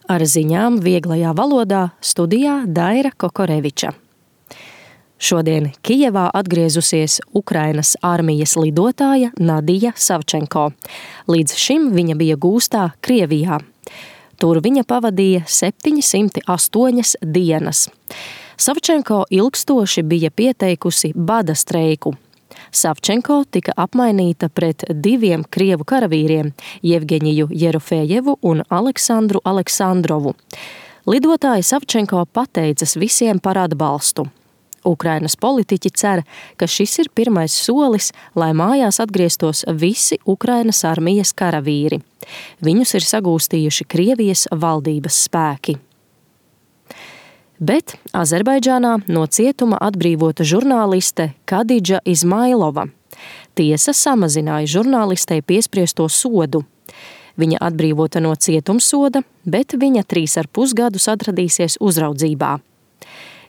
Ar ziņām vieglajā valodā studijā Daira Kokoreviča. Šodien Kijevā atgriezusies Ukrainas armijas lidotāja Nadija Savčenko. Līdz šim viņa bija gūstā Krievijā. Tur viņa pavadīja 708 dienas. Savčenko ilgstoši bija pieteikusi bada streiku. Savčenko tika apmainīta pret 2 krievu karavīriem – Jevgeņiju Jerofejevu un Aleksandru Aleksandrovu. Lidotāja Savčenko pateicas visiem par atbalstu. Ukrainas politiķi cer, ka šis ir pirmais solis, lai mājās atgrieztos visi Ukrainas armijas karavīri. Viņus ir sagūstījuši Krievijas valdības spēki. Bet Azerbaidžānā no cietuma atbrīvota žurnāliste Kadidža Izmailova. Tiesa samazināja žurnālistei piespriesto sodu. Viņa atbrīvota no cietumsoda, bet viņa 3,5 gadus atradīsies uzraudzībā.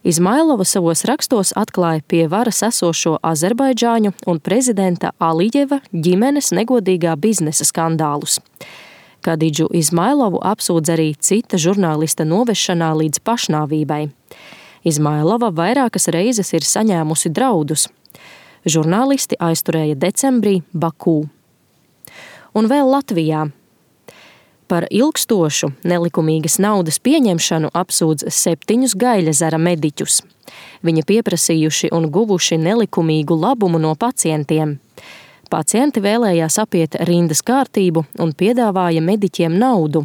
Izmailova savos rakstos atklāja pie varas esošo Azerbaidžāņu un prezidenta Alijeva ģimenes negodīgā biznesa skandālus. Kadidžu Izmailovu apsūdz arī cita žurnālista novešanā līdz pašnāvībai. Izmailova vairākas reizes ir saņēmusi draudus. Žurnālisti aizturēja decembrī Bakū. Un vēl Latvijā. Par ilgstošu nelikumīgas naudas pieņemšanu apsūdz 7 Gaļezera mediķus. Viņi pieprasījuši un guvuši nelikumīgu labumu no pacientiem. Pacienti vēlējās apiet rindas kārtību un piedāvāja mediķiem naudu.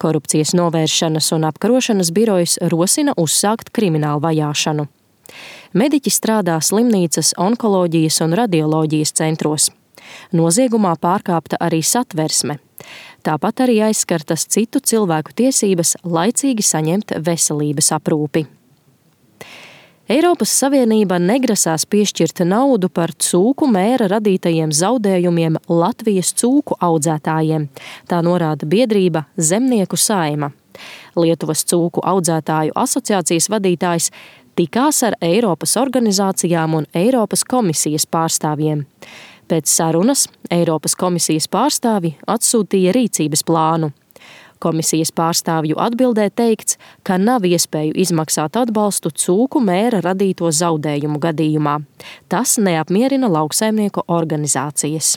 Korupcijas novēršanas un apkarošanas birojs rosina uzsākt kriminālu vajāšanu. Mediķi strādā slimnīcas onkoloģijas un radioloģijas centros. Noziegumā pārkāpta arī satversme. Tāpat arī aizskartas citu cilvēku tiesības laicīgi saņemt veselības aprūpi. Eiropas Savienība negrasās piešķirt naudu par cūku mēra radītajiem zaudējumiem Latvijas cūku audzētājiem. Tā norāda biedrība Zemnieku saima. Lietuvas cūku audzētāju asociācijas vadītājs tikās ar Eiropas organizācijām un Eiropas komisijas pārstāvjiem. Pēc sarunas Eiropas komisijas pārstāvi atsūtīja rīcības plānu. Komisijas pārstāvju atbildē teikts, ka nav iespēju izmaksāt atbalstu cūku mēra radīto zaudējumu gadījumā. Tas neapmierina lauksaimnieku organizācijas.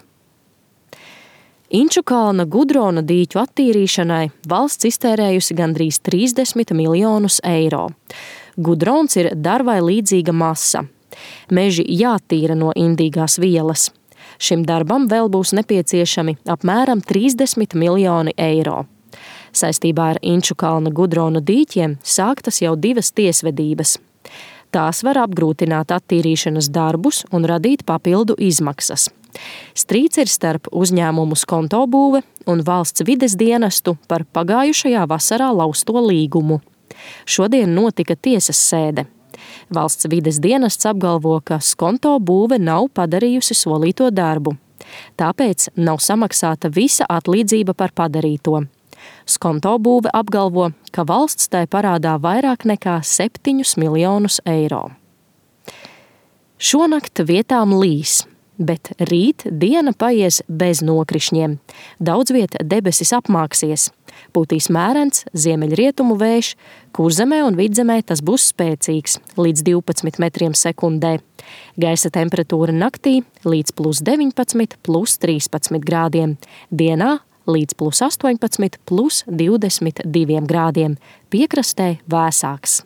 Inčukalna Gudrona dīķu attīrīšanai valsts iztērējusi gandrīz 30 miljonus eiro. Gudrons ir darvai līdzīga masa. Meži jātīra no indīgās vielas. Šim darbam vēl būs nepieciešami apmēram 30 miljoni eiro. Saistībā ar Inčukalna Gudrona dīķiem sāktas jau 2 tiesvedības. Tās var apgrūtināt attīrīšanas darbus un radīt papildu izmaksas. Strīds ir starp uzņēmumu Skontobūve un valsts vides dienestu par pagājušajā vasarā lausto līgumu. Šodien notika tiesas sēde. Valsts vides dienests apgalvo, ka Skontobūve nav padarījusi solīto darbu. Tāpēc nav samaksāta visa atlīdzība par padarīto. Skontobūve apgalvo, ka valsts tai parādā vairāk nekā 7 miljonus eiro. Šonakt vietām līs, bet rīt diena paies bez nokrišņiem. Daudz viet debesis apmāksies. Pūtīs mērens ziemeļrietumu vējš, Kurzemē un Vidzemē tas būs spēcīgs, līdz 12 metriem sekundē. Gaisa temperatūra naktī līdz +19, +13 grādiem. Dienā līdz +18, +22 grādiem. Piekrastē vēsāks.